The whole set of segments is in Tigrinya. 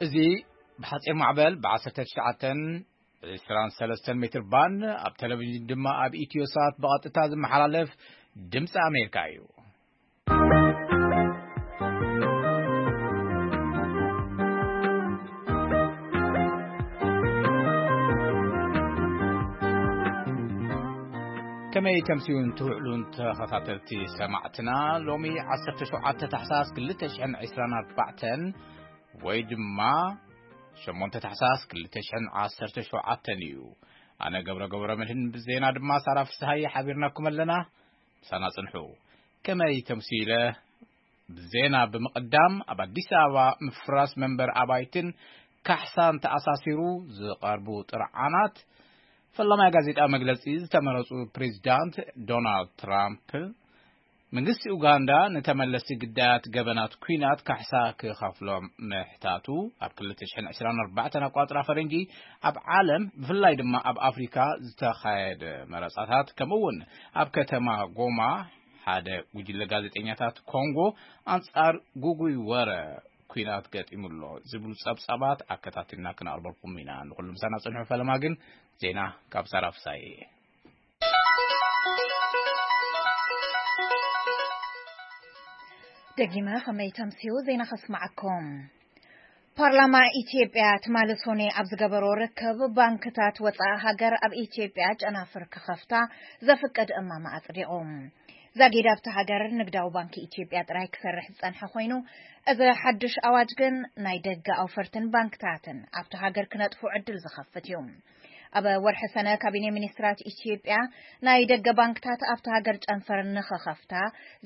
እዚ ብሓጺር ማዕበል ብ19 23 ሜትር ባንድ፣ ኣብ ቴሌቪዥን ድማ ኣብ ኢትዮ ሳት ብቐጥታ ዝመሓላለፍ ድምፂ ኣሜሪካ እዩ። ከመይ ተምስዩን ትውዕሉን ተኸታተልቲ ሰማዕትና፣ ሎሚ 17 ታሕሳስ 2024 ወይ ድማ 8 ታሕሳስ 2017 እዩ። ኣነ ገብረ ገብረ መድህን ብዜና ድማ ሳራ ፍስሃየ ሓቢርናኩም ኣለና። ምሳና ጽንሑ። ከመይ ተምሲለ ብዜና ብምቕዳም፣ ኣብ ኣዲስ ኣበባ ምፍራስ መንበር ኣባይትን ካሕሳን ተኣሳሲሩ ዝቐርቡ ጥርዓናት፣ ፈላማይ ጋዜጣ መግለጺ ዝተመረጹ ፕሬዚዳንት ዶናልድ ትራምፕ፣ መንግስቲ ኡጋንዳ ንተመለስቲ ግዳያት ገበናት ኲናት ካሕሳ ክኸፍሎም ምሕታቱ፣ ኣብ 2024 ኣቋጽራ ፈረንጂ ኣብ ዓለም ብፍላይ ድማ ኣብ ኣፍሪካ ዝተኻየደ መረጻታት፣ ከምኡ እውን ኣብ ከተማ ጎማ ሓደ ጉጅለ ጋዜጠኛታት ኮንጎ ኣንጻር ጉጉይ ወረ ኲናት ገጢሙ ኣሎ ዝብሉ ጸብጻባት ኣከታቲልና ክነቕርበልኩም ኢና። ንኹሉ ምሳና ጽንሑ። ፈለማ ግን ዜና ካብ ሳራ ፍሳዬ። ደጊመ ከመይ ተምስዩ ዜና ከስማዓኩም። ፓርላማ ኢትዮጵያ ትማሊ ሶኔ ኣብ ዝገበሮ ርክብ፣ ባንክታት ወፃኢ ሃገር ኣብ ኢትዮጵያ ጨናፍር ክኸፍታ ዘፍቅድ እማመ ኣጽዲቑ። ዛጊድ ኣብቲ ሃገር ንግዳዊ ባንኪ ኢትዮጵያ ጥራይ ክሰርሕ ዝጸንሐ ኮይኑ፣ እዚ ሓድሽ ኣዋጅ ግን ናይ ደገ ኣውፈርትን ባንክታትን ኣብቲ ሃገር ክነጥፉ ዕድል ዝኸፍት እዩ። ኣብ ወርሒ ሰነ ካቢኔ ሚኒስትራት ኢትዮጵያ ናይ ደገ ባንክታት ኣብቲ ሃገር ጨንፈር ንኽኸፍታ፣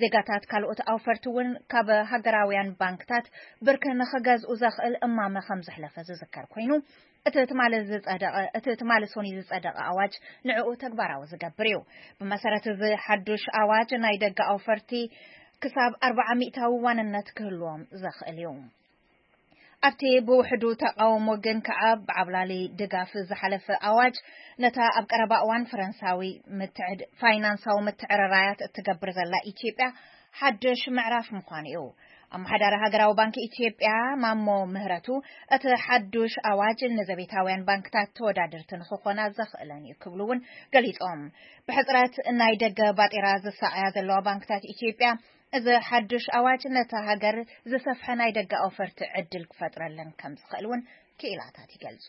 ዜጋታት ካልኦት ኣውፈርቲ እውን ካብ ሃገራውያን ባንክታት ብርኪ ንኽገዝኡ ዘኽእል እማመ ከም ዘሕለፈ ዝዝከር ኮይኑ፣ እቲ ትማሊ ዝጸደቐ፣ እቲ ትማሊ ሶኒ ዝጸደቐ ኣዋጅ ንዕኡ ተግባራዊ ዝገብር እዩ። ብመሰረት እዚ ሓዱሽ ኣዋጅ ናይ ደገ ኣውፈርቲ ክሳብ 40% ዋንነት ክህልዎም ዘኽእል እዩ። ኣብቲ ብውሕዱ ተቃውሞ ግን ከኣ ብዓብላሊ ድጋፍ ዝሓለፈ ኣዋጅ፣ ነታ ኣብ ቀረባ እዋን ፈረንሳዊ ምትዕድ-፣ ፋይናንሳዊ ምትዕርራያት እትገብር ዘላ ኢትዮጵያ ሓድሽ ምዕራፍ ምዃኑ እዩ። ኣመሓዳሪ ሃገራዊ ባንኪ ኢትዮጵያ ማሞ ምህረቱ፣ እቲ ሓዱሽ ኣዋጅ ንዘቤታውያን ባንክታት ተወዳደርቲ ንኽኾና ዘኽእለን እዩ ክብሉ እውን ገሊጾም። ብሕጽረት ናይ ደገ ባጤራ ዝሳቐያ ዘለዋ ባንክታት ኢትዮጵያ፣ እዚ ሓዱሽ ኣዋጅ ነታ ሃገር ዝሰፍሐ ናይ ደገ ኣውፈርቲ ዕድል ክፈጥረለን ከም ዝኽእል እውን ክኢላታት ይገልጹ።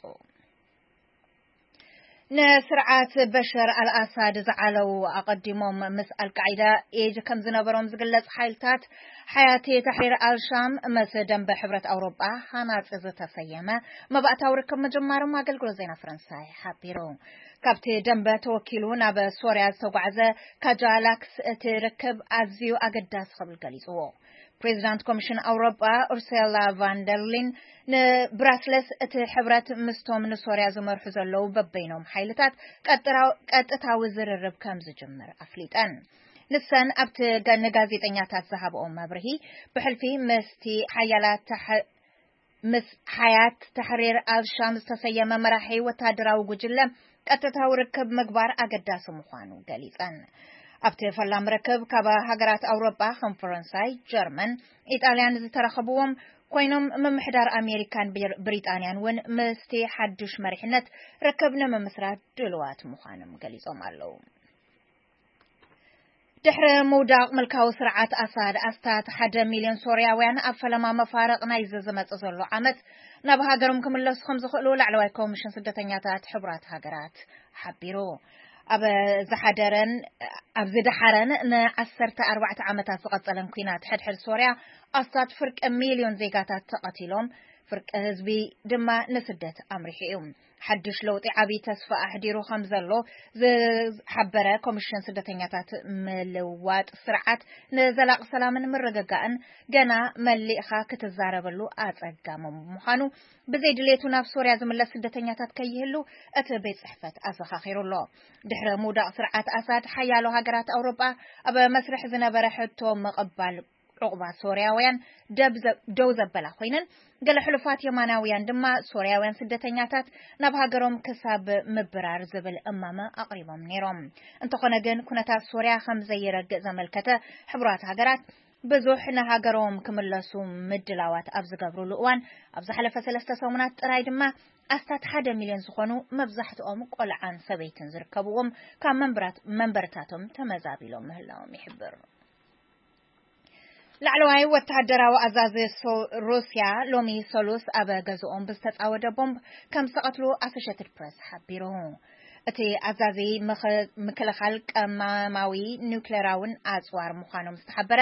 ንስርዓት በሸር ኣልኣሳድ ዝዓለዉ፣ ኣቐዲሞም ምስ ኣልቃዒዳ ኢድ ከም ዝነበሮም ዝግለጽ ሓይልታት ሓያቲ ታሕሪር ኣልሻም፣ ምስ ደንበ ሕብረት ኣውሮጳ ሃናጺ ዝተሰየመ መባእታዊ ርክብ ምጅማሮም ኣገልግሎት ዜና ፈረንሳይ ሓቢሩ። ካብቲ ደንበ ተወኪሉ ናብ ሶርያ ዝተጓዕዘ ካጃላክስ፣ እቲ ርክብ ኣዝዩ ኣገዳሲ ክብል ገሊጽዎ። ፕሬዚዳንት ኮሚሽን ኣውሮጳ ኡርሴላ ቫንደርሊን ንብራስለስ፣ እቲ ሕብረት ምስቶም ንሶርያ ዝመርሑ ዘለዉ በበይኖም ሓይልታት ቀጥራው-፣ ቀጥታዊ ዝርርብ ከም ዝጅምር ኣፍሊጠን። ንሰን ኣብቲ ገ-፣ ንጋዜጠኛታት ዝሃብኦ መብርሂ፣ ብሕልፊ ምስቲ ሓያላት ተሐ-፣ ምስ ሓያት ተሕሪር ኣልሻም ዝተሰየመ መራሒ ወታደራዊ ጉጅለ ቀጥታዊ ርክብ ምግባር ኣገዳሲ ምዃኑ ገሊጸን። ኣብቲ ፈላም ርክብ ካብ ሃገራት ኣውሮጳ ከም ፈረንሳይ፣ ጀርመን፣ ኢጣልያን ዝተረኸብዎም ኮይኖም፣ ምምሕዳር ኣሜሪካን ብር-፣ ብሪጣንያን እውን ምስቲ ሓዱሽ መሪሕነት ርክብ ንምምስራት ድልዋት ምዃኖም ገሊጾም ኣለዉ። ድሕሪ ምውዳቕ ምልካዊ ስርዓት ኣሳድ፣ ኣስታት ሓደ ሚልዮን ሶርያውያን ኣብ ፈለማ መፋርቕ ናይዚ ዝመጽእ ዘሎ ዓመት ናብ ሃገሮም ክምለሱ ከም ዝኽእሉ ላዕለዋይ ኮሚሽን ስደተኛታት ሕቡራት ሃገራት ሓቢሩ። ኣብ ዝሓደረን፣ ኣብ ዝደሓረን ን14 ዓመታት ዝቐጸለን ኲናት ሕድሕድ ሶርያ፣ ኣስታት ፍርቂ ሚልዮን ዜጋታት ተቐቲሎም፣ ፍርቂ ህዝቢ ድማ ንስደት ኣምሪሑ እዩ። ሓድሽ ለውጢ ዓብዪ ተስፋ ኣሕዲሩ ከም ዘሎ ዝሓበረ ኮሚሽን ስደተኛታት፣ ምልዋጥ ስርዓት ንዘላቂ ሰላምን ምርግጋእን ገና መሊእኻ ክትዛረበሉ ኣጸጋሚ ምዃኑ፣ ብዘይ ድሌቱ ናብ ሶርያ ዝምለስ ስደተኛታት ከይህሉ እቲ ቤት ጽሕፈት ኣዘኻኺሩ ኣሎ። ድሕሪ ምውዳቕ ስርዓት ኣሳድ፣ ሓያሎ ሃገራት ኣውሮጳ ኣብ መስርሕ ዝነበረ ሕቶ ምቕባል ዑቕባ ሶርያውያን ደብ ዘ-፣ ደው ዘበላ ኮይነን፣ ገለ ሕሉፋት የማናውያን ድማ ሶርያውያን ስደተኛታት ናብ ሃገሮም ክሳብ ምብራር ዝብል እማመ ኣቕሪቦም ነይሮም። እንተኾነ ግን፣ ኩነታት ሶርያ ከም ዘይረግእ ዘመልከተ ሕቡራት ሃገራት፣ ብዙሕ ንሃገሮም ክምለሱ ምድላዋት ኣብ ዝገብሩሉ እዋን፣ ኣብ ዝሓለፈ ሰለስተ ሰሙናት ጥራይ ድማ ኣስታት ሓደ ሚልዮን ዝኾኑ፣ መብዛሕትኦም ቆልዓን ሰበይትን ዝርከብዎም፣ ካብ መንበራት-፣ መንበርታቶም ተመዛቢሎም ምህላዎም ይሕብር። ላዕለዋይ ወተሃደራዊ ኣዛዚ ሶ-፣ ሩስያ ሎሚ ሰሉስ ኣብ ገዝኦም ብዝተጻወደ ቦምብ ከም ዝተቐትሉ ኣሶሼትድ ፕረስ ሓቢሩ። እቲ ኣዛዚ ምኽ-፣ ምክልኻል ቀማማዊ ኒውክሌራውን ኣጽዋር ምዃኖም ዝተሓበረ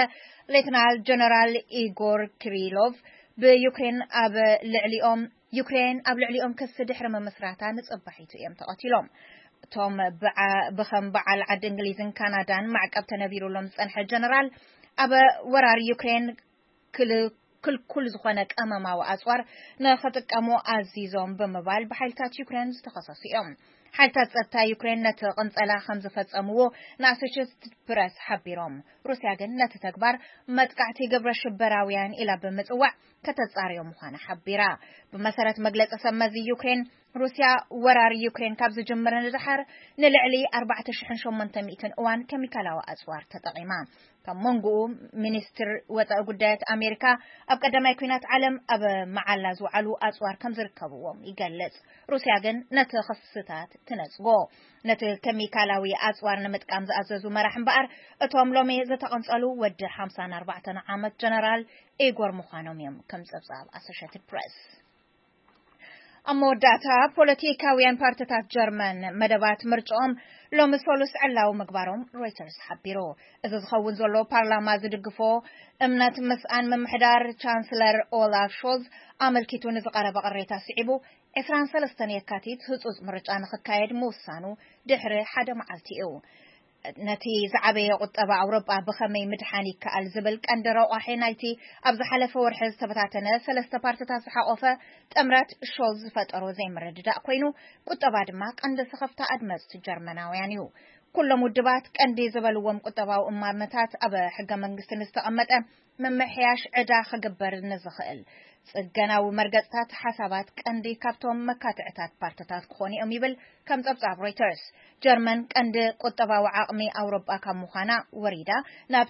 ሌትናል ጀነራል ኢጎር ኪሪሎቭ፣ ብዩክሬን ኣብ ልዕሊኦም፣ ዩክሬን ኣብ ልዕሊኦም ክሲ ድሕሪ ምምስራታ ንጽባሒቱ እዮም ተቐቲሎም። እቶም ብዓ-፣ ብኸም በዓል ዓዲ እንግሊዝን ካናዳን ማዕቀብ ተነቢሩሎም ዝጸንሐ ጀነራል፣ ኣብ ወራር ዩክሬን ክል-፣ ክልኩል ዝኾነ ቀመማዊ ኣጽዋር ንኽጥቀሙ ኣዚዞም ብምባል ብሓይልታት ዩክሬን ዝተኸሰሱ እዮም። ሓይልታት ጸጥታ ዩክሬን ነቲ ቅንጸላ ከም ዝፈጸምዎ ንኣሶሼትድ ፕረስ ሓቢሮም። ሩስያ ግን ነቲ ተግባር መጥቃዕቲ ግብረ ሽበራውያን ኢላ ብምጽዋዕ ከተጻርዮ ምዃና ሓቢራ። ብመሰረት መግለጺ ሰብ መዚ ዩክሬን፣ ሩስያ ወራር ዩክሬን ካብ ዝጅምር ንድሓር ንልዕሊ ኣርባዕተ ሽሕን ሸሞንተ ሚእትን እዋን ኬሚካላዊ ኣጽዋር ተጠቒማ። ካብ መንጎኡ ሚኒስትር ወጻኢ ጉዳያት ኣሜሪካ ኣብ ቀዳማይ ኲናት ዓለም ኣብ መዓላ ዝወዓሉ ኣጽዋር ከም ዝርከብዎም ይገልጽ። ሩስያ ግን ነቲ ክስታት ትነጽጎ። ነቲ ኬሚካላዊ ኣጽዋር ንምጥቃም ዝኣዘዙ መራሕ እምበኣር፣ እቶም ሎሚ ዝተቐንጸሉ ወዲ ሓምሳን ኣርባዕተን ዓመት ጀነራል ኢጎር ምዃኖም እዮም ከም ጸብጻብ ኣሶሼትድ ፕረስ። ኣብ መወዳእታ፣ ፖለቲካውያን ፓርቲታት ጀርመን መደባት ምርጫኦም ሎሚ ሰሉስ ዕላዊ ምግባሮም ሮይተርስ ሓቢሩ። እዚ ዝኸውን ዘሎ ፓርላማ ዝድግፎ እምነት ምስኣን ምምሕዳር ቻንስለር ኦላፍ ሾልዝ ኣመልኪቱ ንዝቐረበ ቅሬታ ስዒቡ፣ ዕስራን ሰለስተን የካቲት ህጹጽ ምርጫ ንኽካየድ ምውሳኑ ድሕሪ ሓደ መዓልቲ እዩ። ነቲ ዝዓበየ ቁጠባ ኣውሮጳ ብኸመይ ምድሓን ይከኣል ዝብል ቀንዲ ረቋሒ ናይቲ ኣብ ዝሓለፈ ወርሒ ዝተበታተነ ሰለስተ ፓርቲታት ዝሓቆፈ ጥምረት ሾልዝ ዝፈጠሮ ዘይምርድዳእ ኮይኑ፣ ቁጠባ ድማ ቀንዲ ስኽፍታ ኣድመጽቲ ጀርመናውያን እዩ። ኩሎም ውድባት ቀንዲ ዝበልዎም ቁጠባዊ እማመታት ኣብ ሕገ መንግስቲ ንዝተቐመጠ ምምሕያሽ ዕዳ ክግበር ንዝኽእል ጽገናዊ መርገጽታት ሓሳባት ቀንዲ ካብቶም መካትዕታት ፓርቲታት ክኾኑ እዮም ይብል ከም ጸብጻብ ሮይተርስ። ጀርመን ቀንዲ ቁጠባዊ ዓቕሚ ኣውሮጳ ካብ ምዃና ወሪዳ ናብ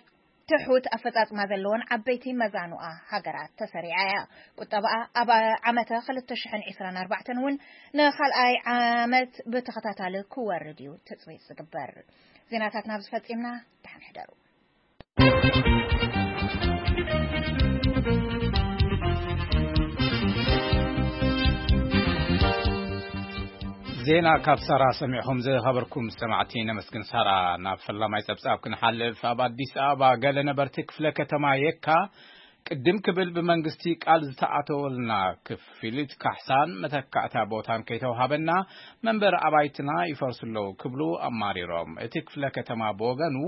ትሑት ኣፈጻጽማ ዘለዎን ዓበይቲ መዛኑኣ ሃገራት ተሰሪዓ እያ። ቁጠባኣ ኣብ ዓመተ ክልተ ሽሕን ዕስራን ኣርባዕተን እውን ንኻልኣይ ዓመት ብተኸታታሊ ክወርድ እዩ ትጽቢት ዝግበር። ዜናታት ናብ ዝፈጺምና፣ ደሓን ሕደሩ። ዜና ካብ ሳራ ሰሚዕኹም ዝኸበርኩም ሰማዕቲ ነመስግን። ሳራ፣ ናብ ፈላማይ ጸብጻብ ክንሓልፍ፣ ኣብ ኣዲስ ኣበባ ገለ ነበርቲ ክፍለ ከተማ የካ ቅድም ክብል ብመንግስቲ ቃል ዝተኣተወልና ክፍሊት ካሕሳን መተካእታ ቦታን ከይተውሃበና መንበሪ ኣባይትና ይፈርሱ ኣለዉ ክብሉ ኣማሪሮም። እቲ ክፍለ ከተማ ብወገኑ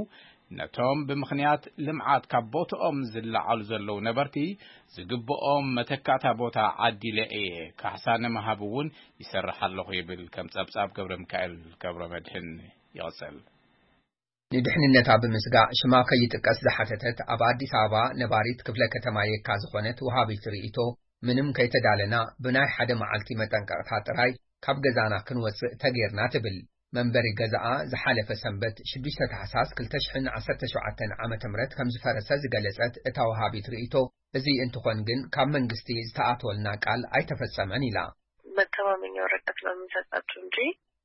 ነቶም ብምኽንያት ልምዓት ካብ ቦትኦም ዝለዓሉ ዘለዉ ነበርቲ ዝግብኦም መተካእታ ቦታ ዓዲለ እየ፣ ካሕሳ ንምሃብ እውን ይሰርሕ ኣለኹ ይብል። ከም ጸብጻብ ገብረ ሚካኤል ገብረ መድህን ይቕጽል። ንድሕንነታ ብምስጋእ ሽማ ከይጥቀስ ዝሓተተት ኣብ ኣዲስ ኣበባ ነባሪት ክፍለ ከተማ የካ ዝኾነት ወሃቢት ርእይቶ፣ ምንም ከይተዳለና ብናይ ሓደ መዓልቲ መጠንቀቕታ ጥራይ ካብ ገዛና ክንወጽእ ተጌርና ትብል። መንበሪ ገዛኣ ዝሓለፈ ሰንበት ሽዱሽተ ታሕሳስ ክልተ ሽሕን ዓሰርተ ሸውዓተን ዓመተ ምህረት ከም ዝፈረሰ ዝገለጸት እታ ወሃቢት ርእይቶ፣ እዚ እንትኾን ግን ካብ መንግስቲ ዝተኣትወልና ቃል ኣይተፈጸመን ኢላ። መተማመኛ ወረቀት ነው የምንሰጣችሁ እንጂ።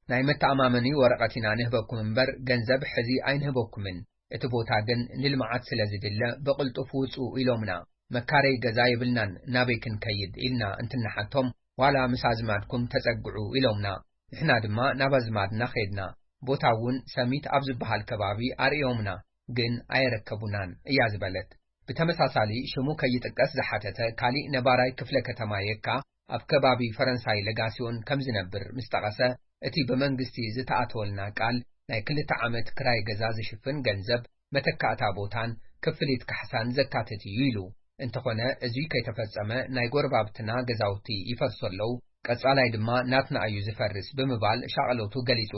ናይ መተኣማመኒ ወረቐት ኢና ንህበኩም እምበር ገንዘብ ሕዚ ኣይንህበኩምን። እቲ ቦታ ግን ንልምዓት ስለ ዝድለ ብቕልጡፍ ውጹ ኢሎምና። መካረይ ገዛ የብልናን፣ ናበይ ክንከይድ ኢልና እንትንሓቶም፣ ዋላ ምስ ኣዝማድኩም ተጸግዑ ኢሎምና። ንሕና ድማ ናብ ኣዝማድና ኸድና። ቦታ እውን ሰሚት ኣብ ዝበሃል ከባቢ ኣርእዮምና፣ ግን ኣየረከቡናን እያ ዝበለት። ብተመሳሳሊ ሽሙ ከይጥቀስ ዝሓተተ ካሊእ ነባራይ ክፍለ ከተማ የካ ኣብ ከባቢ ፈረንሳይ ለጋሲዮን ከም ዝነብር ምስ ጠቐሰ፣ እቲ ብመንግስቲ ዝተኣተወልና ቃል ናይ ክልተ ዓመት ክራይ ገዛ ዝሽፍን ገንዘብ፣ መተካእታ ቦታን ክፍሊት ካሕሳን ዘካትት እዩ ኢሉ። እንተኾነ፣ እዚ ከይተፈጸመ ናይ ጎረባብትና ገዛውቲ ይፈርሱ ኣለዉ፣ ቀጻላይ ድማ ናትና እዩ ዝፈርስ ብምባል ሻቕሎቱ ገሊጹ።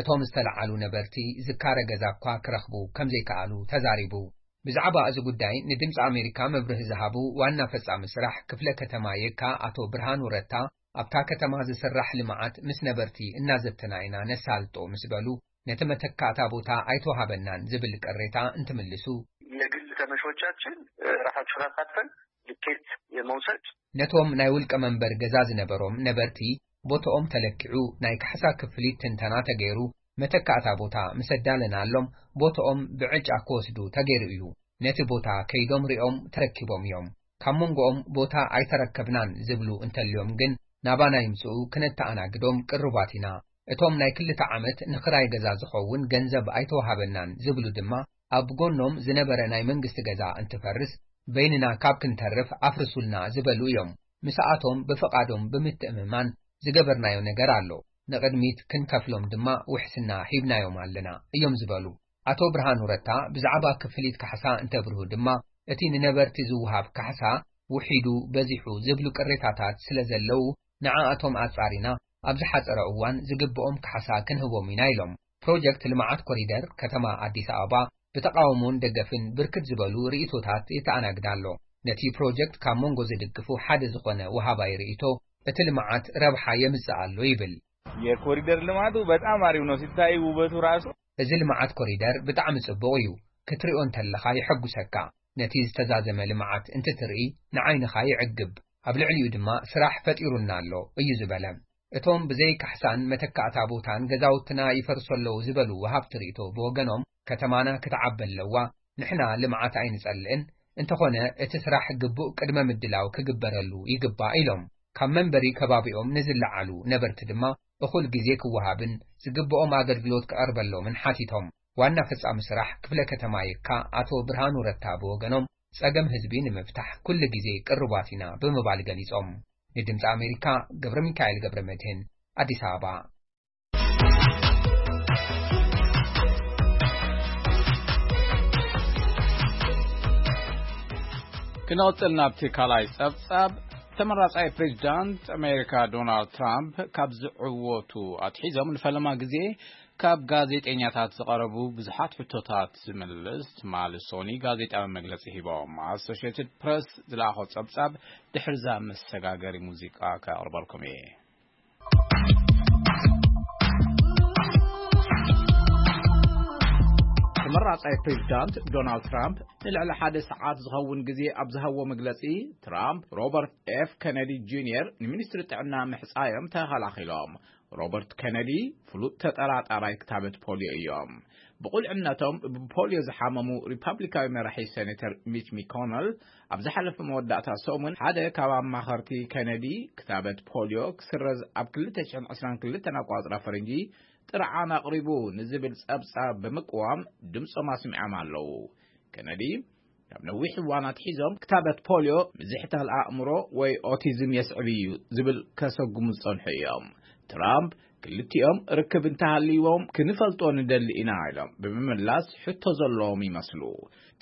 እቶም ዝተለዓሉ ነበርቲ ዝካረ ገዛ እኳ ክረኽቡ ከም ዘይከኣሉ ተዛሪቡ። ብዛዕባ እዚ ጉዳይ ንድምፂ ኣሜሪካ መብርሂ ዝሃቡ ዋና ፈጻሚ ስራሕ ክፍለ ከተማ የካ ኣቶ ብርሃኑ ረታ፣ ኣብታ ከተማ ዝስራሕ ልምዓት ምስ ነበርቲ እናዘተና ኢና ነሳልጦ ምስ በሉ፣ ነቲ መተካእታ ቦታ ኣይተዋሃበናን ዝብል ቅሬታ እንትምልሱ፣ ንግል ከመሾቻችን ራሳቸውን አሳትፈን ልኬት የመውሰድ ነቶም ናይ ውልቀ መንበር ገዛ ዝነበሮም ነበርቲ ቦታኦም ተለኪዑ ናይ ካሕሳ ክፍሊት ትንተና ተገይሩ መተካእታ ቦታ ምስ ኣዳለናሎም ቦታኦም ብዕጫ ክወስዱ ተገይሩ እዩ። ነቲ ቦታ ከይዶም ሪኦም ተረኪቦም እዮም። ካብ መንጎኦም ቦታ ኣይተረከብናን ዝብሉ እንተልዮም ግን ናባና ይምጽኡ ክነተኣናግዶም ቅሩባት ኢና። እቶም ናይ ክልተ ዓመት ንኽራይ ገዛ ዝኸውን ገንዘብ ኣይተዋሃበናን ዝብሉ ድማ ኣብ ጎኖም ዝነበረ ናይ መንግስቲ ገዛ እንትፈርስ በይንና ካብ ክንተርፍ ኣፍርሱልና ዝበሉ እዮም። ምስኣቶም ብፍቓዶም ብምትእምማን ዝገበርናዮ ነገር ኣሎ። ንቕድሚት ክንከፍሎም ድማ ውሕስና ሂብናዮም ኣለና እዮም ዝበሉ። ኣቶ ብርሃኑ ረታ ብዛዕባ ክፍሊት ካሕሳ እንተብርሁ ድማ እቲ ንነበርቲ ዝውሃብ ካሕሳ ውሒዱ በዚሑ ዝብሉ ቅሬታታት ስለ ዘለዉ ንዓኣቶም ኣጻሪና ኣብ ዝሓጸረ እዋን ዝግብኦም ካሕሳ ክንህቦም ኢና ኢሎም። ፕሮጀክት ልምዓት ኮሪደር ከተማ ኣዲስ ኣበባ ብተቓውሞን ደገፍን ብርክት ዝበሉ ርእይቶታት የተኣናግድ ኣሎ። ነቲ ፕሮጀክት ካብ መንጎ ዝድግፉ ሓደ ዝኾነ ወሃባይ ርእይቶ እቲ ልምዓት ረብሓ የምጽእ ኣሎ ይብል። የኮሪደር ልማቱ በጣም አሪፍ ነው ሲታይ ውበቱ ራሱ። እዚ ልምዓት ኮሪደር ብጣዕሚ ጽቡቕ እዩ። ክትሪኦ እንተለኻ የሐጉሰካ። ነቲ ዝተዛዘመ ልምዓት እንትትርኢ ንዓይንኻ ይዕግብ። ኣብ ልዕሊኡ ድማ ስራሕ ፈጢሩና ኣሎ እዩ ዝበለ። እቶም ብዘይ ካሕሳን መተካእታ ቦታን ገዛውትና ይፈርሱ ኣለዉ ዝበሉ ወሃብቲ ርእይቶ ብወገኖም ከተማና ክትዓቢ ኣለዋ፣ ንሕና ልምዓት ኣይንጸልእን፣ እንተኾነ እቲ ስራሕ ግቡእ ቅድመ ምድላው ክግበረሉ ይግባእ ኢሎም። ካብ መንበሪ ከባቢኦም ንዝለዓሉ ነበርቲ ድማ እኹል ግዜ ክወሃብን ዝግብኦም ኣገልግሎት ክቐርበሎምን ሓቲቶም። ዋና ፈጻሚ ስራሕ ክፍለ ከተማ የካ ኣቶ ብርሃኑ ረታ ብወገኖም ጸገም ህዝቢ ንምፍታሕ ኩሉ ግዜ ቅሩባት ኢና ብምባል ገሊጾም። ንድምፂ ኣሜሪካ ገብረ ሚካኤል ገብረ መድህን ኣዲስ ኣበባ። ክንቕጽል ናብቲ ካልኣይ ጸብጻብ። ተመራጻይ ፕሬዚዳንት ኣሜሪካ ዶናልድ ትራምፕ ካብ ዝዕወቱ ኣትሒዞም ንፈለማ ግዜ ካብ ጋዜጠኛታት ዝቐረቡ ብዙሓት ሕቶታት ዝምልስ ትማሊ ሶኒ ጋዜጣዊ መግለጺ ሂቦም። ኣሶሽየትድ ፕረስ ዝለኣኾ ጸብጻብ ድሕርዛ መሰጋገሪ ሙዚቃ ከቕርበልኩም እየ። ተመራጻይ ፕሬዚዳንት ዶናልድ ትራምፕ ንልዕሊ ሓደ ሰዓት ዝኸውን ግዜ ኣብ ዝሃቦ መግለጺ፣ ትራምፕ ሮበርት ኤፍ ኬነዲ ጁኒየር ንሚኒስትሪ ጥዕና ምሕጻዮም ተኸላኺሎም። ሮበርት ኬነዲ ፍሉጥ ተጠራጣራይ ክታበት ፖልዮ እዮም። ብቑልዕነቶም ብፖልዮ ዝሓመሙ ሪፓብሊካዊ መራሒ ሴኔተር ሚች ሚኮነል ኣብ ዝሓለፈ መወዳእታ ሰሙን ሓደ ካብ ኣማኸርቲ ኬነዲ ክታበት ፖልዮ ክስረዝ ኣብ ክልተ ሽሕን ዕስራን ክልተን ኣቋጽራ ፈረንጂ ጥርዓን ኣቕሪቡ ንዝብል ጸብጻብ ብምቅዋም ድምጾም ኣስሚዖም ኣለዉ። ኬነዲ ካብ ነዊሕ እዋን ኣትሒዞም ክታበት ፖልዮ ምዝሕታል ኣእምሮ ወይ ኦቲዝም የስዕብ እዩ ዝብል ከሰጉሙ ዝጸንሑ እዮም። ትራምፕ ክልቲኦም ርክብ እንተሃልይዎም ክንፈልጦ ንደሊ ኢና ኢሎም ብምምላስ ሕቶ ዘለዎም ይመስሉ።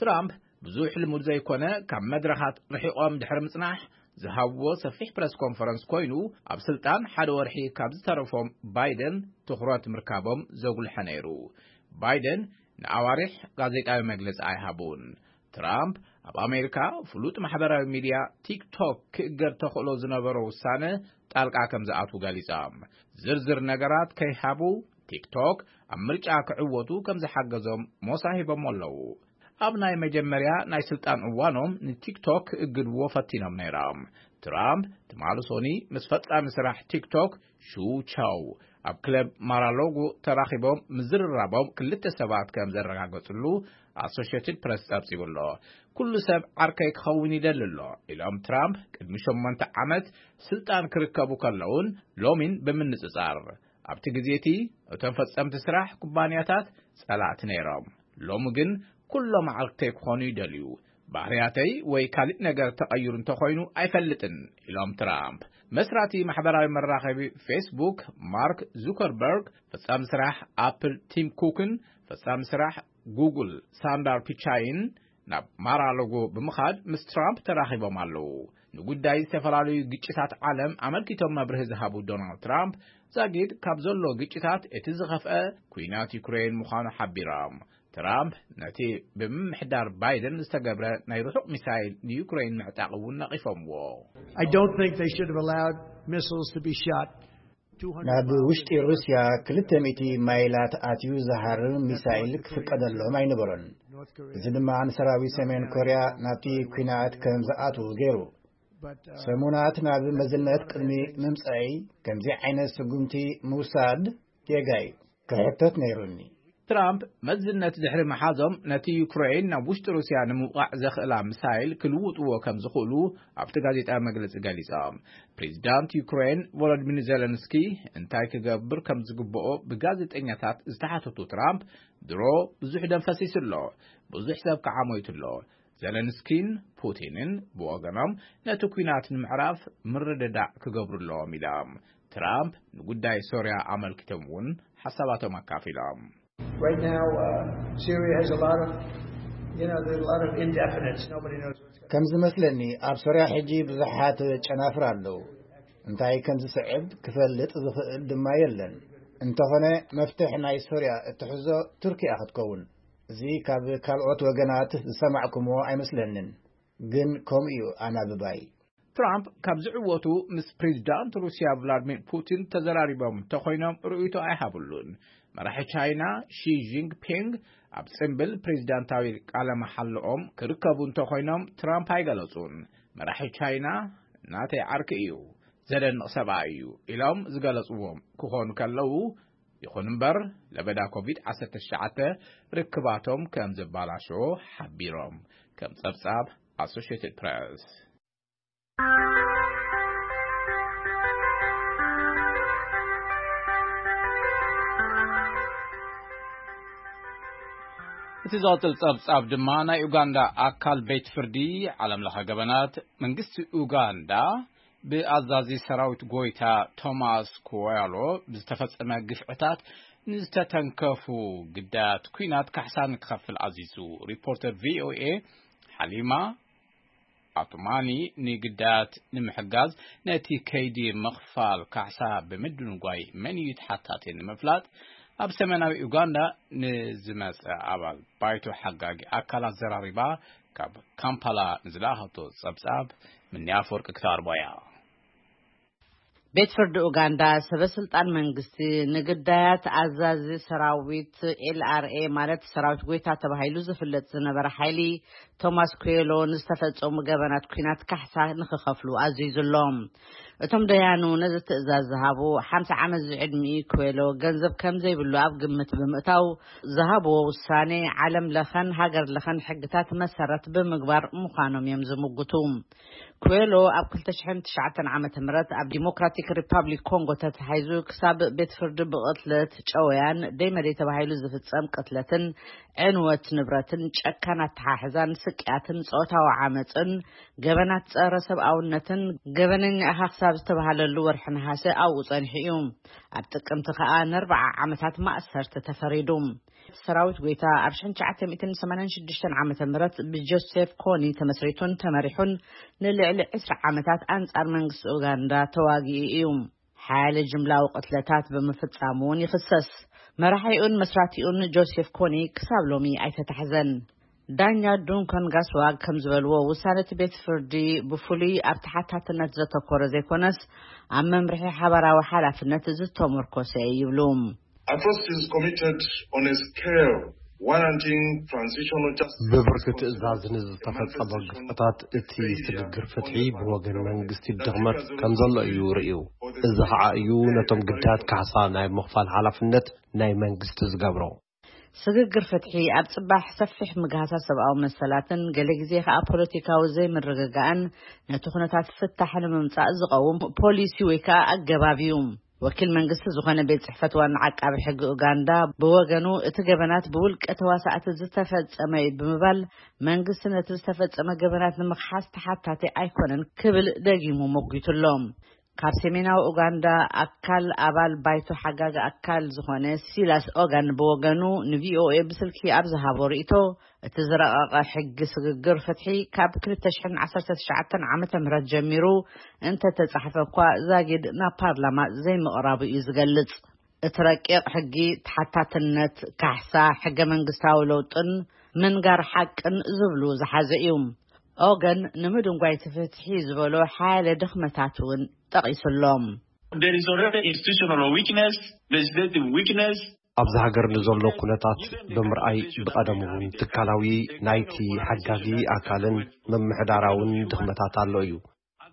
ትራምፕ ብዙሕ ልሙድ ዘይኮነ ካብ መድረኻት ርሒቖም ድሕሪ ምጽናሕ ዝሃብዎ ሰፊሕ ፕረስ ኮንፈረንስ ኮይኑ ኣብ ስልጣን ሓደ ወርሒ ካብ ዝተረፎም ባይደን ትኹረት ምርካቦም ዘጉልሐ ነይሩ። ባይደን ንኣዋርሕ ጋዜጣዊ መግለጺ ኣይሃቡን። ትራምፕ ኣብ ኣሜሪካ ፍሉጥ ማሕበራዊ ሚድያ ቲክቶክ ክእገድ ተኽእሎ ዝነበሮ ውሳነ ጣልቃ ከም ዝኣትዉ ገሊጾም። ዝርዝር ነገራት ከይሃቡ ቲክቶክ ኣብ ምርጫ ክዕወቱ ከም ዝሓገዞም ሞሳ ሂቦሞ ኣለዉ። ኣብ ናይ መጀመርያ ናይ ስልጣን እዋኖም ንቲክቶክ ክእግድዎ ፈቲኖም ነይሮም። ትራምፕ ትማሊ ሶኒ ምስ ፈጻሚ ስራሕ ቲክቶክ ሹ ቻው ኣብ ክለብ ማራሎጎ ተራኺቦም ምዝርራቦም ክልተ ሰባት ከም ዘረጋገጽሉ ኣሶሽየትድ ፕረስ ጸብጺቡ ኣሎ። ኩሉ ሰብ ዓርከይ ክኸውን ይደሊ ኣሎ ኢሎም ትራምፕ ቅድሚ ሸሞንተ ዓመት ስልጣን ክርከቡ ከለውን ሎሚን ብምንጽጻር። ኣብቲ ግዜ እቲ እቶም ፈጸምቲ ስራሕ ኩባንያታት ጸላእቲ ነይሮም። ሎሚ ግን ኩሎም ዓርከይ ክኾኑ ይደልዩ። ባህርያተይ ወይ ካልእ ነገር ተቐይሩ እንተኾይኑ ኣይፈልጥን ኢሎም ትራምፕ። መስራቲ ማሕበራዊ መራኸቢ ፌስቡክ ማርክ ዙከርበርግ፣ ፈጻሚ ስራሕ ኣፕል ቲም ኩክን ፈጻሚ ስራሕ ጉግል ሳንዳር ፒቻይን ናብ ማራሎጎ ብምኻድ ምስ ትራምፕ ተራኺቦም ኣለዉ። ንጉዳይ ዝተፈላለዩ ግጭታት ዓለም ኣመልኪቶም መብርሂ ዝሃቡ ዶናልድ ትራምፕ፣ ዛጊድ ካብ ዘሎ ግጭታት እቲ ዝኸፍአ ኲናት ዩክሬን ምዃኑ ሓቢሮም። ትራምፕ ነቲ ብምምሕዳር ባይደን ዝተገብረ ናይ ርሑቕ ሚሳይል ንዩክሬን ምዕጣቕ እውን ነቒፎምዎ። I don't think they should have allowed missiles to be shot two hundred ናብ ውሽጢ ሩስያ ክልተ ሚእቲ ማይላት ኣትዩ ዝሃርም ሚሳይል ክፍቀደሎም ኣይነበሮን። እዚ ድማ ንሰራዊት ሰሜን ኮርያ ናብቲ ኲናት ከም ዝኣትዉ ገይሩ። ሰሙናት ናብ መዝነት ቅድሚ ምምጻይ ከምዚ ዓይነት ስጉምቲ ምውሳድ ጌጋ እዩ። ክሕተት ነይሩኒ። ትራምፕ መዝነት ድሕሪ ምሓዞም፣ ነቲ ዩክሬን ናብ ውሽጢ ሩስያ ንምውቃዕ ዘኽእላ ሚሳይል ክልውጥዎ ከም ዝኽእሉ ኣብቲ ጋዜጣዊ መግለጺ ገሊጾም። ፕሬዚዳንት ዩክሬን ቮሎዲሚር ዜለንስኪ እንታይ ክገብር ከም ዝግብኦ ብጋዜጠኛታት ዝተሓተቱ ትራምፕ፣ ድሮ ብዙሕ ደም ፈሲሱ ኣሎ፣ ብዙሕ ሰብ ከዓ ሞይቱ ኣሎ። ዜለንስኪን ፑቲንን ብወገኖም፣ ነቲ ኲናት ንምዕራፍ ምርድዳእ ክገብሩ ኣለዎም ኢሎም። ትራምፕ ንጉዳይ ሶርያ ኣመልኪቶም እውን ሓሳባቶም ኣካፊሎም። Right now, uh, Syria has a lot of, you know, there's a lot of indefinites. Nobody knows what's going ከም ዝመስለኒ፣ ኣብ ሶርያ ሕጂ ብዙሓት ጨናፍር ኣለዉ። እንታይ ከም ዝስዕብ ክፈልጥ ዝኽእል ድማ የለን። እንተኾነ፣ መፍትሕ ናይ ሶርያ እትሕዞ ቱርኪ እያ ክትከውን። እዚ ካብ ካልኦት ወገናት ዝሰማዕኩምዎ ኣይመስለንን፣ ግን ከምኡ እዩ ኣናብባይ። ትራምፕ ካብ ዝዕወቱ፣ ምስ ፕሬዚዳንት ሩስያ ቭላድሚር ፑቲን ተዘራሪቦም እንተኾይኖም ርእይቶ ኣይሃብሉን። መራሒ ቻይና ሺ ጂንግፒንግ ኣብ ጽምብል ፕሬዚዳንታዊ ቃለ መሓልኦም ክርከቡ እንተኾይኖም ትራምፕ ኣይገለጹን። መራሒ ቻይና ናተይ ዓርኪ እዩ፣ ዘደንቕ ሰብኣይ እዩ ኢሎም ዝገለጽዎም ክኾኑ ከለዉ፣ ይኹን እምበር፣ ለበዳ ኮቪድ ዓሰርተ ትሽዓተ ርክባቶም ከም ዘባላሸዎ ሓቢሮም። ከም ጸብጻብ ኣሶሽየትድ ፕረስ። እቲ ዝቐጽል ጸብጻብ ድማ፣ ናይ ኡጋንዳ ኣካል ቤት ፍርዲ ዓለም ለኸ ገበናት፣ መንግስቲ ኡጋንዳ ብኣዛዚ ሰራዊት ጎይታ ቶማስ ኩዌሎ ብዝተፈጸመ ግፍዕታት ንዝተተንከፉ ግዳያት ኲናት ካሕሳ ንክኸፍል ኣዚዙ። ሪፖርተር ቪ ኦ ኤ ሓሊማ ኣቱማኒ፣ ንግዳያት ንምሕጋዝ ነቲ ከይዲ ምኽፋል ካሕሳ ብምድንጓይ መን እዩ ተሓታቲ ንምፍላጥ፣ ኣብ ሰሜናዊ ኡጋንዳ ንዝመጸ ኣባል ባይቶ ሓጋጊ ኣካላት ዘራሪባ። ካብ ካምፓላ ንዝለኣኸቶ ጸብጻብ፣ ምኒ ኣፈወርቂ ክተቕርቦ እያ። ቤት ፍርዲ ኡጋንዳ፣ ሰበ ስልጣን መንግስቲ፣ ንግዳያት ኣዛዚ ሰራዊት ኤል ኣር ኤ፣ ማለት ሰራዊት ጎይታ ተባሂሉ ዝፍለጥ ዝነበረ ሓይሊ ቶማስ ኩዌሎ ንዝተፈጸሙ ገበናት ኲናት ካሕሳ ንክኸፍሉ ኣዚዙ ኣሎ። እቶም ደያኑ ነዚ ትእዛዝ ዝሃቡ፣ ሓምሳ ዓመት ዝዕድሚኡ ኩዌሎ ገንዘብ ከም ዘይብሉ ኣብ ግምት ብምእታው ዝሃብዎ ውሳኔ፣ ዓለም ለኸን ሃገር ለኸን ሕግታት መሰረት ብምግባር ምዃኖም እዮም ዝምጉቱ። ኩዌሎ ኣብ ክልተ ሽሕን ትሽዓተን ዓመተ ምህረት ኣብ ዲሞክራቲክ ሪፓብሊክ ኮንጎ ተታሒዙ፣ ክሳብ ቤት ፍርዲ ብቕትለት፣ ጨወያን ደይመደይ ተባሂሉ ዝፍጸም ቅትለትን ዕንወት ንብረትን ጨካን ኣተሓሕዛን ስቅያትን ጾታዊ ዓመጽን ገበናት ጸረ ሰብኣውነትን ገበነኛ ኢኻ ክሳብ ዝተባህለሉ ወርሒ ነሓሰ ኣብኡ ጸኒሑ እዩ። ኣብ ጥቅምቲ ከኣ ንኣርብዓ ዓመታት ማእሰርቲ ተፈሪዱ። ሰራዊት ጎይታ ኣብ ሽሕን ትሽዓተ ሚእትን ሰማንያን ሽዱሽተን ዓመተ ምህረት ብጆሴፍ ኮኒ ተመስሪቱን ተመሪሑን ንልዕሊ ዕስራ ዓመታት ኣንጻር መንግስቲ ኡጋንዳ ተዋጊኡ እዩ። ሓያለ ጅምላዊ ቅትለታት ብምፍጻሙ እውን ይኽሰስ። መራሒኡን መስራቲኡን ጆሴፍ ኮኒ ክሳብ ሎሚ ኣይተታሕዘን። ዳኛ ዱንካን ጋስዋግ ከም ዝበልዎ፣ ውሳነ እቲ ቤት ፍርዲ ብፍሉይ ኣብ ተሓታትነት ዘተኮረ ዘይኮነስ፣ ኣብ መምርሒ ሓባራዊ ሓላፍነት ዝተመርኮሰ ይብሉ። Atrocities committed on a scale warranting transitional justice ብብርኪ ትእዛዝ ንዝተፈጸመ ግፍዕታት እቲ ስግግር ፍትሒ ብወገን መንግስቲ ድኽመት ከም ዘሎ እዩ ርእዩ። እዚ ኸዓ እዩ ነቶም ግዳያት ካሕሳ ናይ ምኽፋል ሓላፍነት ናይ መንግስቲ ዝገብሮ። ስግግር ፍትሒ ኣብ ጽባሕ ሰፊሕ ምግሃሳት ሰብኣዊ መሰላትን ገለ ግዜ ከኣ ፖለቲካዊ ዘይምርግጋእን ነቲ ኩነታት ፍታሕ ንምምጻእ ዝቐውም ፖሊሲ ወይ ከኣ ኣገባብ እዩ። ወኪል መንግስቲ ዝኾነ ቤት ጽሕፈት ዋና ዓቃቢ ሕጊ ኡጋንዳ ብወገኑ፣ እቲ ገበናት ብውልቀ ተዋሳእቲ ዝተፈጸመ እዩ ብምባል፣ መንግስቲ ነቲ ዝተፈጸመ ገበናት ንምኽሓስ ተሓታቲ ኣይኮነን ክብል ደጊሙ ሞጒቱ ኣሎ። ካብ ሰሜናዊ ኡጋንዳ ኣካል ኣባል ባይቶ ሓጋጊ ኣካል ዝኾነ ሲላስ ኦጋን ብወገኑ ንቪ ኦ ኤ ብስልኪ ኣብ ዝሃቦ ርእይቶ፣ እቲ ዝረቐቐ ሕጊ ስግግር ፍትሒ ካብ ክልተ ሽሕን ዓሰርተ ትሽዓተን ዓመተ ምህረት ጀሚሩ እንተተጻሕፈ እኳ ዛጊድ ናብ ፓርላማ ዘይምቕራቡ እዩ ዝገልጽ። እቲ ረቂቕ ሕጊ ተሓታትነት፣ ካሕሳ፣ ሕገ መንግስታዊ ለውጥን ምንጋር ሓቅን ዝብሉ ዝሓዘ እዩ። ኦገን ንምድንጓይ እቲ ፍትሒ ዝበሎ ሓያለ ድኽመታት እውን ጠቒሱ ኣሎ። There is already institutional weakness, legislative weakness. ኣብዚ ሃገር ንዘሎ ኩነታት ብምርኣይ፣ ብቐደሙ እውን ትካላዊ ናይቲ ሓጋጊ ኣካልን ምምሕዳራውን ድኽመታት ኣሎ እዩ።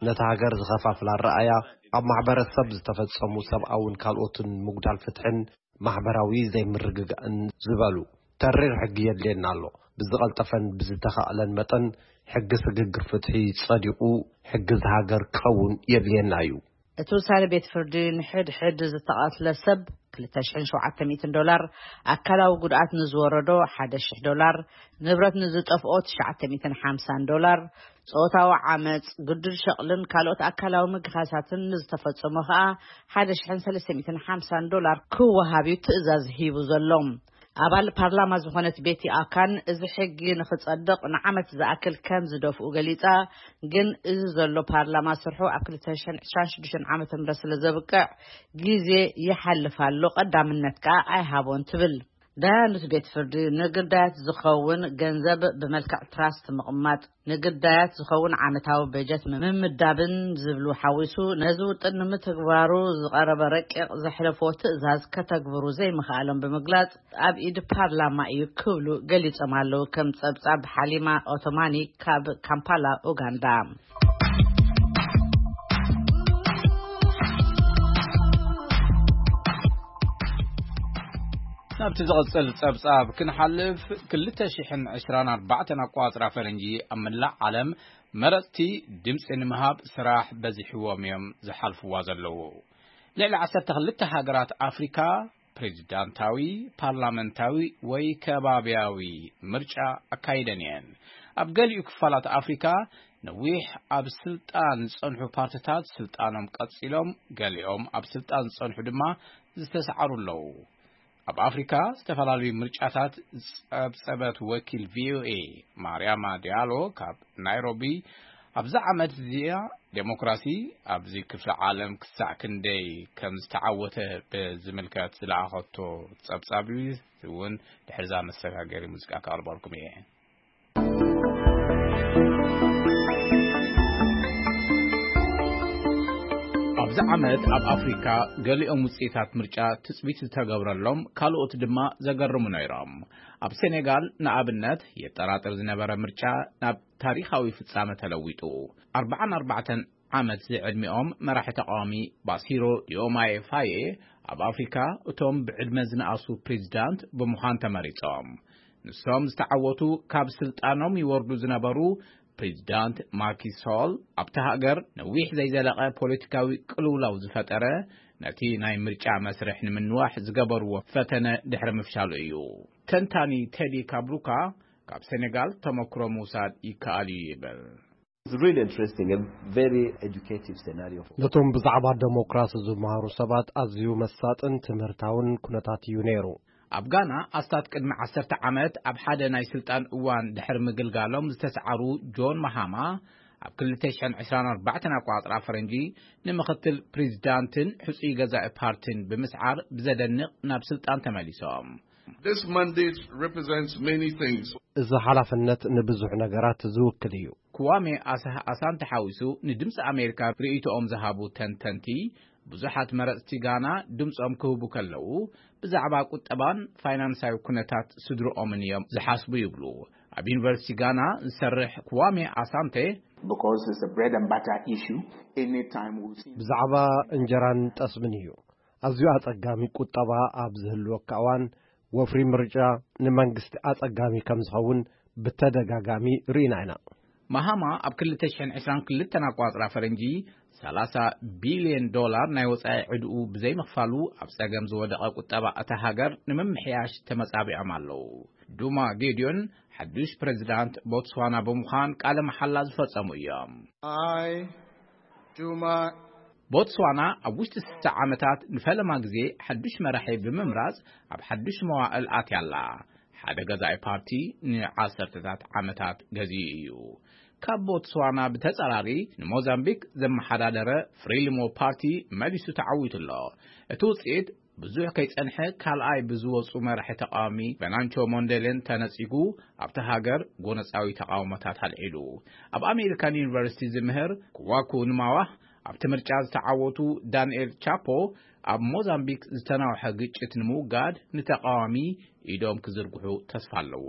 ነታ ሃገር ዝኸፋፍላ ኣረኣእያ፣ ኣብ ማሕበረሰብ ዝተፈጸሙ ሰብኣውን ካልኦትን ምጉዳል ፍትሕን ማሕበራዊ ዘይምርግጋእን ዝበሉ፣ ተሪር ሕጊ የድልየና ኣሎ። ብዝቐልጠፈን ብዝተኻእለን መጠን፣ ሕጊ ስግግር ፍትሒ ጸዲቑ፣ ሕጊ እዛ ሃገር ክኸውን የድልየና እዩ። እቲ ውሳነ ቤት ፍርዲ፣ ንሕድ ሕድ ዝተቐትለ ሰብ ክልተ ሽሕን ሸውዓተ ሚእትን ዶላር፣ ኣካላዊ ጉድኣት ንዝወረዶ ሓደ ሽሕ ዶላር፣ ንብረት ንዝጠፍኦ ትሽዓተ ሚእትን ሓምሳን ዶላር፣ ጾታዊ ዓመጽ፣ ግዱድ ሸቕልን ካልኦት ኣካላዊ ምግሃሳትን ንዝተፈጸሞ ከኣ ሓደ ሽሕን ሰለስተ ሚእትን ሓምሳን ዶላር ክወሃብ እዩ ትእዛዝ ሂቡ ዘሎ። ኣባል ፓርላማ ዝኾነት ቤቲ ኣካን፣ እዚ ሕጊ ንኽጸድቕ ንዓመት ዝኣክል ከም ዝደፍኡ ገሊጻ፣ ግን እዚ ዘሎ ፓርላማ ስርሑ ኣብ ክልተ ሽሕን ዕስራን ሽዱሽተን ዓመተ ምህረት ስለ ዘብቅዕ፣ ግዜ ይሓልፍ ኣሎ፣ ቀዳምነት ከኣ ኣይሃቦን ትብል። ዳያኑት ቤት ፍርዲ፣ ንግዳያት ዝኸውን ገንዘብ ብመልክዕ ትራስት ምቕማጥ፣ ንግዳያት ዝኸውን ዓመታዊ በጀት ምምዳብን ዝብሉ ሓዊሱ፣ ነዚ ውጥን ንምትግባሩ ዝቐረበ ረቂቕ ዘሕለፎ ትእዛዝ ከተግብሩ ዘይምኽኣሎም ብምግላጽ፣ ኣብ ኢድ ፓርላማ እዩ ክብሉ ገሊጾም ኣለዉ። ከም ጸብጻብ ሓሊማ ኦቶማኒ ካብ ካምፓላ፣ ኡጋንዳ። ናብቲ ዝቕጽል ጸብጻብ ክንሓልፍ፣ ክልተ ሽሕን ዕስራን ኣርባዕተን ኣቋጽራ ፈረንጂ ኣብ መላእ ዓለም መረጽቲ ድምጺ ንምሃብ ስራሕ በዚሕዎም እዮም ዝሓልፍዋ ዘለዉ። ልዕሊ ዓሰርተ ክልተ ሃገራት ኣፍሪካ ፕሬዚዳንታዊ፣ ፓርላመንታዊ ወይ ከባብያዊ ምርጫ ኣካይደን እየን። ኣብ ገሊኡ ክፋላት ኣፍሪካ ነዊሕ ኣብ ስልጣን ዝጸንሑ ፓርትታት ስልጣኖም ቀጺሎም፣ ገሊኦም ኣብ ስልጣን ዝጸንሑ ድማ ዝተሰዓሩ ኣለዉ። ኣብ ኣፍሪካ ዝተፈላለዩ ምርጫታት ዝጸብጸበት ወኪል ቪኦኤ ማርያማ ዲያሎ ካብ ናይሮቢ፣ ኣብዛ ዓመት እዚኣ ዴሞክራሲ ኣብዚ ክፍለ ዓለም ክሳዕ ክንደይ ከም ዝተዓወተ ብዝምልከት ዝለኣኸቶ ጸብጻብ እዩ። እውን ድሕርዛ መሰጋገሪ ሙዚቃ ከቕርበልኩም እየ። ኣብዚ ዓመት ኣብ ኣፍሪካ ገሊኦም ውፅኢታት ምርጫ ትፅቢት ዝተገብረሎም፣ ካልኦት ድማ ዘገርሙ ነይሮም። ኣብ ሴኔጋል ንኣብነት የጠራጥር ዝነበረ ምርጫ ናብ ታሪኻዊ ፍጻመ ተለዊጡ። ኣርባዓን ኣርባዕተን ዓመት ዝዕድሚኦም መራሒ ተቃዋሚ ባሲሮ ዲዮማየ ፋየ ኣብ ኣፍሪካ እቶም ብዕድመ ዝነኣሱ ፕሬዚዳንት ብምዃን ተመሪጾም። ንሶም ዝተዓወቱ ካብ ስልጣኖም ይወርዱ ዝነበሩ ፕሬዚዳንት ማኪ ሶል፣ ኣብታ ሃገር ነዊሕ ዘይዘለቐ ፖለቲካዊ ቅልውላው ዝፈጠረ፣ ነቲ ናይ ምርጫ መስርሕ ንምንዋሕ ዝገበርዎ ፈተነ ድሕሪ ምፍሻሉ እዩ። ተንታኒ ቴዲ ካብሩካ፣ ካብ ሴኔጋል ተመክሮ ምውሳድ ይከኣል እዩ ይብል። It's really interesting, a very educative scenario for ነቶም ብዛዕባ ደሞክራሲ ዝመሃሩ ሰባት ኣዝዩ መሳጥን ትምህርታውን ኩነታት እዩ ነይሩ። ኣብ ጋና፣ ኣስታት ቅድሚ ዓሰርተ ዓመት ኣብ ሓደ ናይ ስልጣን እዋን ድሕሪ ምግልጋሎም ዝተሰዓሩ ጆን ማሃማ፣ ኣብ ክልተ ሽሕን ዕስራን ኣርባዕተን ኣቋጽራ ፈረንጂ ንምኽትል ፕሬዚዳንትን ሕጹይ ገዛኢ ፓርቲን ብምስዓር ብዘደንቕ ናብ ስልጣን ተመሊሶም። This mandate represents many things. እዚ ሓላፍነት ንብዙሕ ነገራት ዝውክል እዩ። ክዋሜ ኣሳህ ኣሳንተ ሓዊሱ ንድምፂ ኣሜሪካ ርእይቶኦም ዝሃቡ ተንተንቲ፣ ብዙሓት መረፅቲ ጋና ድምፆም ክህቡ ከለዉ ብዛዕባ ቁጠባን ፋይናንሳዊ ኩነታት ስድርኦምን እዮም ዝሓስቡ ይብሉ። ኣብ ዩኒቨርሲቲ ጋና ዝሰርሕ ክዋሜ ኣሳንተ፣ Because it's a bread and butter issue, anytime we'll see ብዛዕባ እንጀራን ጠስምን እዩ። ኣዝዩ ኣጸጋሚ ቁጠባ ኣብ ዝህልወካ እዋን፣ ወፍሪ ምርጫ ንመንግስቲ ኣጸጋሚ ከም ዝኸውን ብተደጋጋሚ ርኢና ኢና። ማሃማ ኣብ ክልተ ሽሕን ዕስራን ክልተን ኣቋጽራ ፈረንጂ ሰላሳ ቢልዮን ዶላር ናይ ወጻኢ ዕድኡ ብዘይምኽፋሉ ኣብ ጸገም ዝወደቐ ቁጠባ እታ ሃገር ንምምሕያሽ ተመጻቢዖም ኣለዉ። ዱማ ጌድዮን ሓዱሽ ፕሬዚዳንት ቦትስዋና ብምዃን ቃለ መሓላ ዝፈጸሙ እዮም። I, Duma ቦትስዋና ኣብ ውሽጢ ስልሳ ዓመታት ንፈለማ ግዜ ሓዱሽ መራሒ ብምምራጽ ኣብ ሓዱሽ መዋእል ኣትያ ኣላ። ሓደ ገዛኢ ፓርቲ ንዓሰርተታት ዓመታት ገዚኡ እዩ። ካብ ቦትስዋና ብተጻራሪ ንሞዛምቢክ ዘመሓዳደረ ፍሪሊሞ ፓርቲ መሊሱ ተዓዊቱ ኣሎ። እቲ ውጽኢት ብዙሕ ከይጸንሐ ካልኣይ ብዝወጹ መራሒ ተቃዋሚ ቨናንቾ ሞንዴሌን ተነጺጉ ኣብታ ሃገር ጎነጻዊ ተቃውሞታት ኣልዒሉ። ኣብ ኣሜሪካን ዩኒቨርሲቲ ዝምህር ክዋኩ ንማዋ ኣብቲ ምርጫ ዝተዓወቱ ዳንኤል ቻፖ፣ ኣብ ሞዛምቢክ ዝተናውሐ ግጭት ንምውጋድ ንተቃዋሚ ኢዶም ክዝርግሑ ተስፋ ኣለዎ።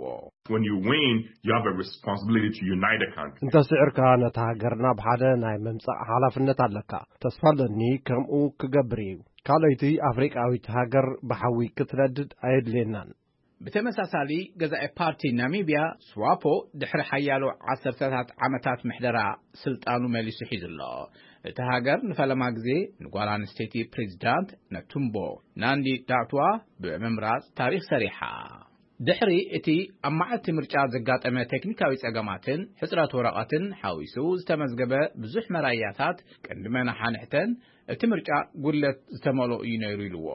When you win, you have a responsibility to unite the country. እንተ ስዕርካ፣ ነታ ሃገር ናብ ሓደ ናይ ምምጻእ ሓላፍነት ኣለካ። ተስፋ ኣለኒ ከምኡ ክገብር እዩ። ካልኦይቲ ኣፍሪቃዊት ሃገር ብሓዊ ክትነድድ ኣየድልየናን። ብተመሳሳሊ፣ ገዛኢ ፓርቲ ናሚብያ ስዋፖ ድሕሪ ሓያሎ ዓሰርተታት ዓመታት ምሕደራ ስልጣኑ መሊሱ ሒዙ ኣሎ። እቲ ሃገር ንፈለማ ግዜ ንጓል ኣንስተይቲ ፕሬዚዳንት ነቱምቦ ናንዲ ዳትዋ ብምምራጽ ታሪኽ ሰሪሓ። ድሕሪ እቲ ኣብ መዓልቲ ምርጫ ዘጋጠመ ቴክኒካዊ ጸገማትን ሕጽረት ወረቐትን ሓዊሱ ዝተመዝገበ ብዙሕ መራያታት፣ ቀንዲ መናሓንሕተን እቲ ምርጫ ጉድለት ዝተመልኦ እዩ ነይሩ ኢልዎ።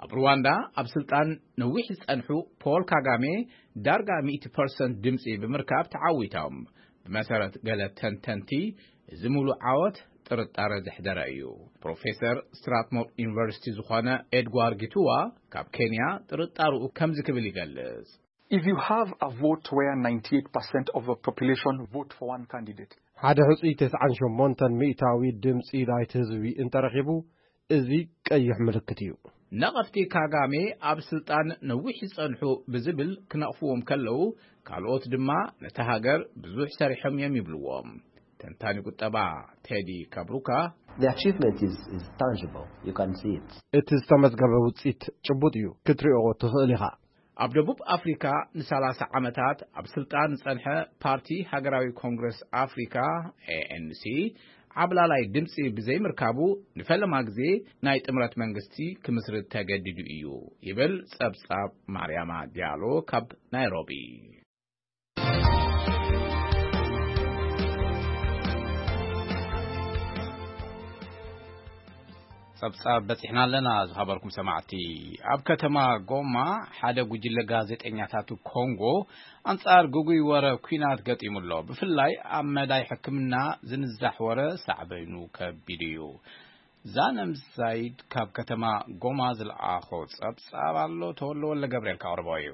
ኣብ ሩዋንዳ ኣብ ስልጣን ነዊሕ ዝጸንሑ ፖል ካጋሜ ዳርጋ ሚእቲ ፐርሰንት ድምጺ ብምርካብ ተዓዊቶም። ብመሰረት ገለ ተንተንቲ፣ እዚ ሙሉእ ዓወት ጥርጣረ ዘሕደረ እዩ። ፕሮፌሰር ስትራትሞር ዩኒቨርሲቲ ዝኾነ ኤድጓር ጊቱዋ ካብ ኬንያ ጥርጣርኡ ከምዚ ክብል ይገልጽ። If you have a vote where ninety-eight percent of the population vote for one candidate, ሓደ ሕጹይ ተስዓን ሸሞንተን ሚእታዊ ድምጺ ናይቲ ህዝቢ እንተረኺቡ፣ እዚ ቀይሕ ምልክት እዩ። ነቐፍቲ ካጋሜ ኣብ ስልጣን ነዊሕ ይጸንሑ ብዝብል ክነቕፍዎም ከለዉ፣ ካልኦት ድማ ነታ ሃገር ብዙሕ ሰሪሖም እዮም ይብልዎም። ተንታኒ ቁጠባ ቴዲ ካብሩካ፣ The achievement is, is tangible. You can see it. እቲ ዝተመዝገበ ውጽኢት ጭቡጥ እዩ፣ ክትሪኦ ትኽእል ኢኻ። ኣብ ደቡብ ኣፍሪካ ንሰላሳ ዓመታት ኣብ ስልጣን ዝጸንሐ ፓርቲ ሃገራዊ ኮንግረስ ኣፍሪካ፣ ኤ ኤን ሲ፣ ዓብላላይ ድምጺ ብዘይምርካቡ፣ ንፈለማ ግዜ ናይ ጥምረት መንግስቲ ክምስርት ተገዲዱ እዩ ይብል ጸብጻብ ማርያማ ዲያሎ ካብ ናይሮቢ። ጸብጻብ በጺሕና ኣለና ዝሃበርኩም ሰማዕቲ። ኣብ ከተማ ጎማ ሓደ ጉጅለ ጋዜጠኛታት ኮንጎ ኣንጻር ግጉይ ወረ ኲናት ገጢሙ ኣሎ። ብፍላይ ኣብ መዳይ ሕክምና ዝንዛሕ ወረ ሳዕበይኑ ከቢድ እዩ። ዛነም ዛይድ ካብ ከተማ ጎማ ዝለኣኾ ጸብጻብ ኣሎ። ተወልደ ወልደ ገብርኤል ካቕርቦ እዩ።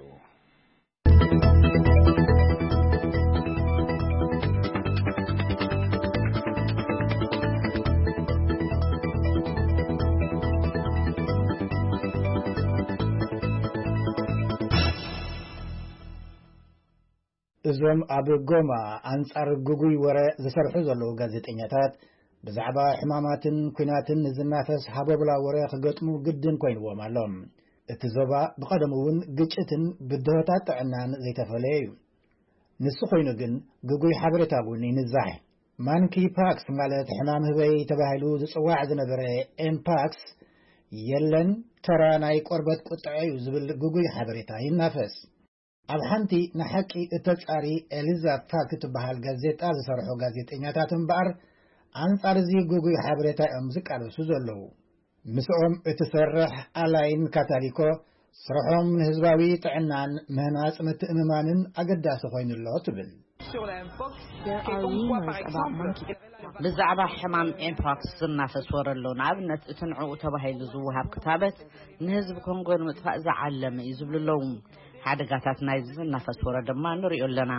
እዞም ኣብ ጎማ ኣንጻር ግጉይ ወረ ዝሰርሑ ዘለዉ ጋዜጠኛታት፣ ብዛዕባ ሕማማትን ኲናትን ንዝናፈስ ሃቦብላ ወረ ክገጥሙ ግድን ኮይንዎም ኣሎ። እቲ ዞባ ብቐደሙ እውን ግጭትን ብድሆታት ጥዕናን ዘይተፈለየ እዩ። ንሱ ኮይኑ ግን፣ ግጉይ ሓበሬታ እውን ይንዛሕ። ማንኪ ፓክስ፣ ማለት ሕማም ህበይ ተባሂሉ ዝጽዋዕ ዝነበረ ኤምፓክስ፣ የለን፣ ተራ ናይ ቆርበት ቁጥዐ እዩ ዝብል ግጉይ ሓበሬታ ይናፈስ። ኣብ ሓንቲ ንሓቂ እተጻሪ ኤሊዛ ፋክ እትበሃል ጋዜጣ ዝሰርሑ ጋዜጠኛታት እምበኣር፣ ኣንጻር እዚ ግጉይ ሓበሬታ እዮም ዝቃለሱ ዘለዉ። ምስኦም እትሰርሕ ኣላይን ካታሊኮ፣ ስርሖም ንህዝባዊ ጥዕናን ምህናጽ ምትእምማንን ኣገዳሲ ኮይኑሎ ትብል። There are rumors about monkey. ብዛዕባ ሕማም ኤምፖክስ ዝናፈስ ወረ ኣሎ። ንኣብነት፣ እቲ ንዕኡ ተባሂሉ ዝወሃብ ክታበት ንህዝቢ ኮንጎ ንምጥፋእ ዝዓለመ እዩ ዝብሉ ኣለዉ። ሓደጋታት ናይዚ ዝናፈስ ወረ ድማ ንሪኦ ኣለና።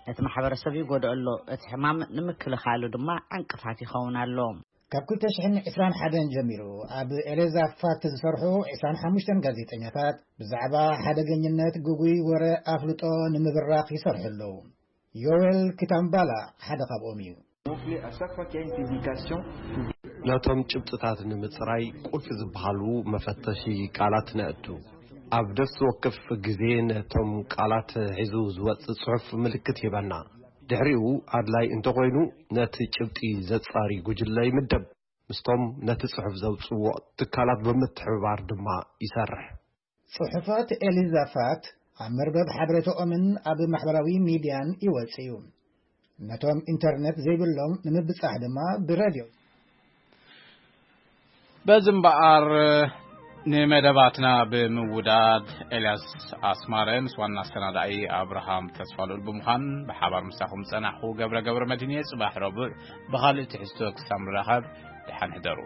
ነቲ ማሕበረሰብ ይጎድኦ ኣሎ። እቲ ሕማም ንምክልኻሉ ድማ ዕንቅፋት ይኸውን ኣሎ። ካብ ክልተ ሽሕን ዕስራን ሓደን ጀሚሩ ኣብ ኤሌዛ ፋክት ዝሰርሑ ዕስራን ሓሙሽተን ጋዜጠኛታት፣ ብዛዕባ ሓደገኝነት ግጉይ ወረ ኣፍልጦ ንምብራኽ ይሰርሑ ኣለዉ። ዮዌል ኪታምባላ ሓደ ካብኦም እዩ። Gonfler à chaque fois qu'il y a une publication. ነቶም ጭብጥታት ንምጽራይ ቁልፊ ዝበሃሉ መፈተሺ ቃላት ነእቱ። ኣብ ነፍሲ ወከፍ ግዜ ነቶም ቃላት ሒዙ ዝወጽእ ጽሑፍ ምልክት ይህበና። ድሕሪኡ ኣድላይ እንተኾይኑ ነቲ ጭብጢ ዘጻሪ ጉጅለ ይምደብ። ምስቶም ነቲ ጽሑፍ ዘውጽእዎ ትካላት ብምትሕብባር ድማ ይሰርሕ። ጽሑፋት ኤሊዛፋት ኣብ መርበብ ሓበሬታኦምን ኣብ ማሕበራዊ ሚድያን ይወጽእ እዩ። ነቶም ኢንተርነት ዘይብሎም ንምብጻሕ ድማ ብረድዮ። በዚ እምበኣር ንመደባትና ብምውዳድ ኤልያስ ኣስማረ ምስ ዋና ኣሰናዳኢ ኣብርሃም ተስፋልኡል ብምዃን ብሓባር ምሳኹም ጸናሕኹ። ገብረ ገብረ መድህን እየ። ጽባሕ ረቡዕ ብኻልእ ትሕዝቶ ክሳብ ንራኸብ ደሓን ሕደሩ።